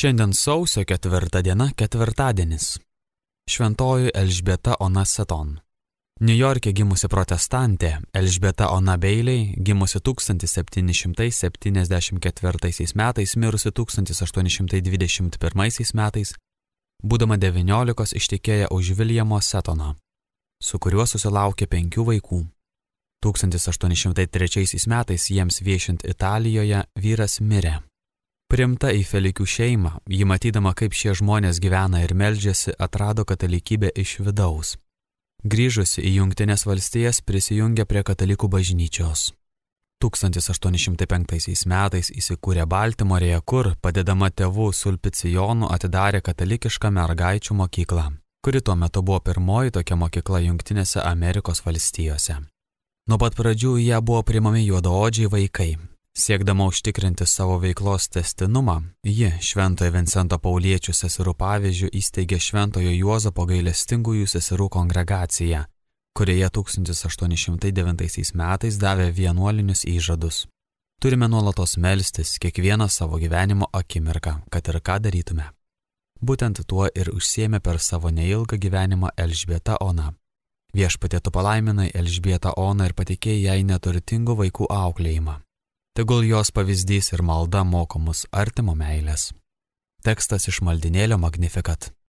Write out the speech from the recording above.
Šiandien sausio 4 diena, ketvirtadienis. Šventoji Elžbieta Ona Seton. Niujorke gimusi protestantė Elžbieta Ona Bailey, gimusi 1774 metais, mirusi 1821 metais, būdama 19 ištekėjo už Viljamo Setono, su kuriuo susilaukė 5 vaikų. 1803 metais jiems viešint Italijoje vyras mirė. Priimta į Felikių šeimą, ji matydama, kaip šie žmonės gyvena ir meldžiasi, atrado katalikybę iš vidaus. Grįžusi į Jungtines valstijas prisijungė prie katalikų bažnyčios. 1805 metais įsikūrė Baltimorėje, kur, padedama tėvų Sulpicijonų, atidarė katalikišką mergaičių mokyklą, kuri tuo metu buvo pirmoji tokia mokykla Jungtinėse Amerikos valstijose. Nuo pat pradžių į ją buvo priimami juodaodžiai vaikai. Siekdama užtikrinti savo veiklos tęstinumą, ji Šventojo Vincento Pauliečių seserų pavyzdžių įsteigė Šventojo Juozapo gailestingųjų seserų kongregaciją, kurioje 1809 metais davė vienuolinius įžadus. Turime nuolatos melstis kiekvieną savo gyvenimo akimirką, kad ir ką darytume. Būtent tuo ir užsiėmė per savo neilgą gyvenimą Elžbieta Ona. Viešpatie tu palaiminai Elžbietą Oną ir patikėjai jai neturtingų vaikų auklėjimą. Tegul jos pavyzdys ir malda moko mus artimo meilės. Tekstas iš maldinėlio Magnificat.